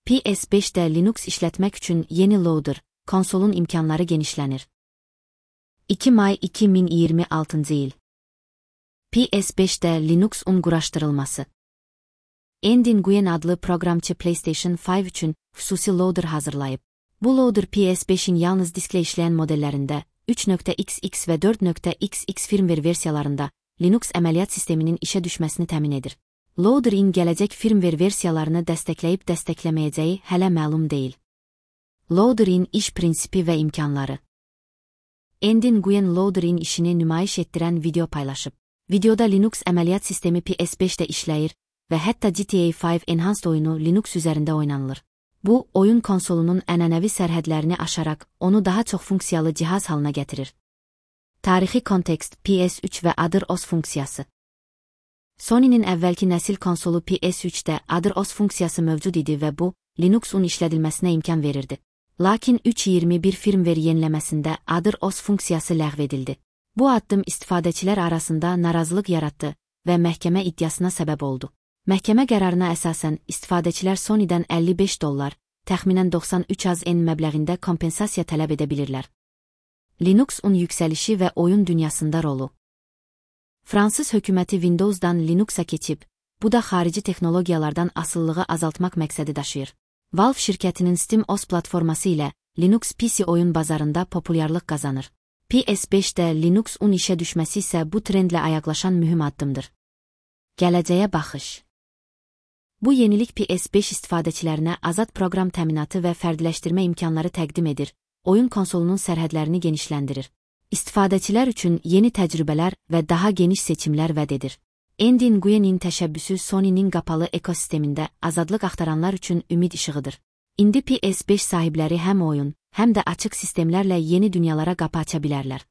PS5'də Linux işlətmək üçün yeni loader, konsolun imkanları genişlənir. 2 may 2026 il. PS5'də Linux-un quraşdırılması. Andy Nguyen adlı proqramçı PlayStation 5 üçün xüsusi loader hazırlayıb. Bu loader PS5'in yalnız disklə işləyən modellərində, 3.xx və 4.xx firmware versiyalarında Linux əməliyyat sisteminin işə düşməsini təmin edir. Loader-in gələcək firmware versiyalarını dəstəkləyib dəstəkləməyəcəyi hələ məlum deyil. Loader-in iş prinsipi və imkanları. Andy Nguyen Loader-in işini nümayiş etdirən video paylaşıb. Videoda Linux əməliyyat sistemi PS5'də işləyir və hətta GTA 5 Enhanced oyunu Linux üzərində oynanılır. Bu, oyun konsolunun ənənəvi sərhədlərini aşaraq onu daha çox funksiyalı cihaz halına gətirir. Tarixi kontekst PS3 və Adır-OS funksiyası. Sony'nin əvvəlki nəsil konsolu PS3'də Adır-OS funksiyası mövcud idi və bu, Linux-un işlədilməsinə imkan verirdi. Lakin 3.21 firmware yeniləməsində Adır-OS funksiyası ləğv edildi. Bu addım istifadəçilər arasında narazılıq yaratdı və məhkəmə iddiasına səbəb oldu. Məhkəmə qərarına əsasən istifadəçilər Sony'dən $55, təxminən 93 AZN məbləğində kompensasiya tələb edə bilirlər. Linux-un yüksəlişi və oyun dünyasında rolu. Fransız hökuməti Windows'dan Linux'a keçib, bu da xarici texnologiyalardan asılılığı azaltmaq məqsədi daşıyır. Valve şirkətinin SteamOS platforması ilə Linux PC oyun bazarında populyarlıq qazanır. PS5'də Linux-un işə düşməsi isə bu trendlə ayaqlaşan mühüm addımdır. Gələcəyə baxış. Bu yenilik PS5 istifadəçilərinə azad proqram təminatı və fərdiləşdirmə imkanları təqdim edir, oyun konsolunun sərhədlərini genişləndirir. İstifadəçilər üçün yeni təcrübələr və daha geniş seçimlər vəd edir. Andy Nguyen'in təşəbbüsü Sony'nin qapalı ekosistemində azadlıq axtaranlar üçün ümid işığıdır. İndi PS5 sahibləri həm oyun, həm də açıq sistemlərlə yeni dünyalara qapı aça bilərlər.